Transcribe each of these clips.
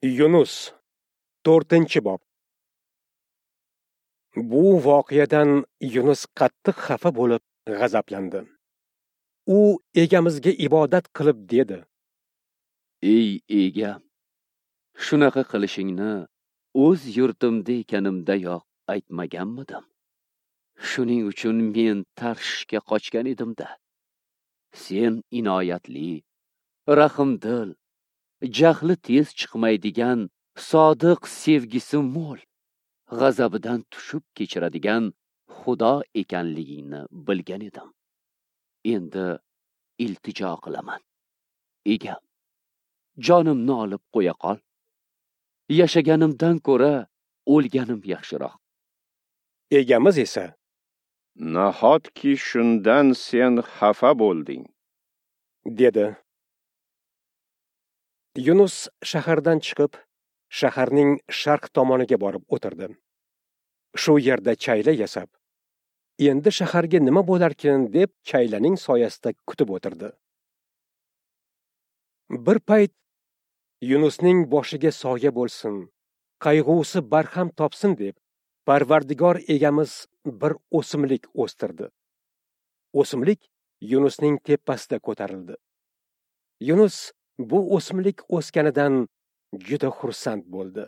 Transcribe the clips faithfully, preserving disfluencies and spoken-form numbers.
Yunus, to'rtinchi bob. Bu voqeadan Yunus qattiq xafa bo'lib g'azablandi. U egamizga ibodat qilib dedi: Ey egam, shunaqa qilishingni o'z yurtimda ekanimdayoq aytmaganmidim? Shuning uchun men Tarshishga qochgan edimda. Sen inoyatli, rahimdil, jahli tez chiqmaydigan, sodiq sevgisi mo'l, g'azabidan tushib kechiradigan Xudo ekanligingni bilgan edim. Endi iltijo qilaman. Egam, jonimni olib qo'ya qol. Yashaganimdan ko'ra o'lganim yaxshiroq. Egamiz esa: Nahotki shundan sen xafa bo'lding, dedi. Yunus shahardan chiqib, shaharning sharq tomoniga borib o'tirdi. Shu yerda chayla yasab, endi shaharga nima bo'larkin deb chaylaning soyasida kutib o'tirdi. Bir payt Yunusning boshiga soya bo'lsin, qayg'usi barham topsin deb Parvardigor egamiz bir o'simlik o'stirdi. O'simlik Yunusning tepasida ko'tarildi. Yunus bu o'simlik o'sganidan juda xursand bo'ldi.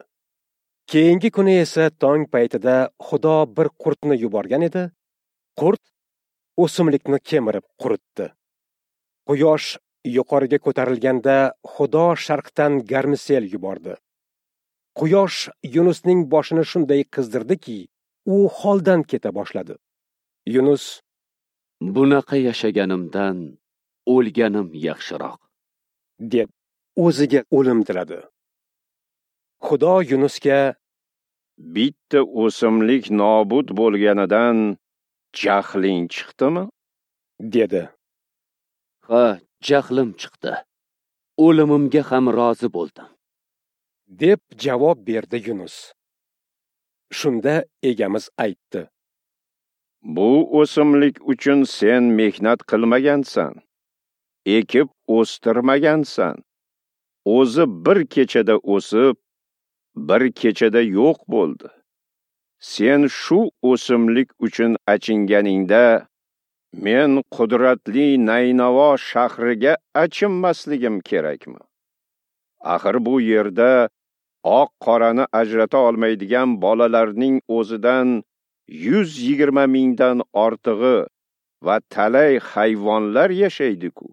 Keyingi kuni esa tong paytida Xudo bir qurtni yuborgan edi. Qurt o'simlikni kemirib quritdi. Quyosh yuqoriga ko'tarilganda Xudo sharqdan garmisel yubordi. Quyosh Yunusning boshini shunday qizdirdiki, u holdan keta boshladi. Yunus: Bunaqa yashaganimdan o'lganim yaxshiroq, deb o'ziga o'lim tiladi. Xudo Yunusga: Bitta o'simlik nobud bo'lganidan jahling chiqdimi? dedi. Ha, jahlim chiqdi. O'limimga ham rozi bo'ldim, deb javob berdi Yunus. Shunda egamiz aytdi: Bu o'simlik uchun sen mehnat qilmagansan, ekib o'stirmagansan. O'zi bir kechada o'sib, bir kechada yo'q bo'ldi. Sen shu o'simlik uchun achinganingda, men qudratli Naynavo shahriga achinmasligim kerakmi? Axir bu yerda oq qorani ajrata olmaydigan bolalarning o'zidan yuz yigirma mingdan ortig'i va talay hayvonlar yashaydi-ku.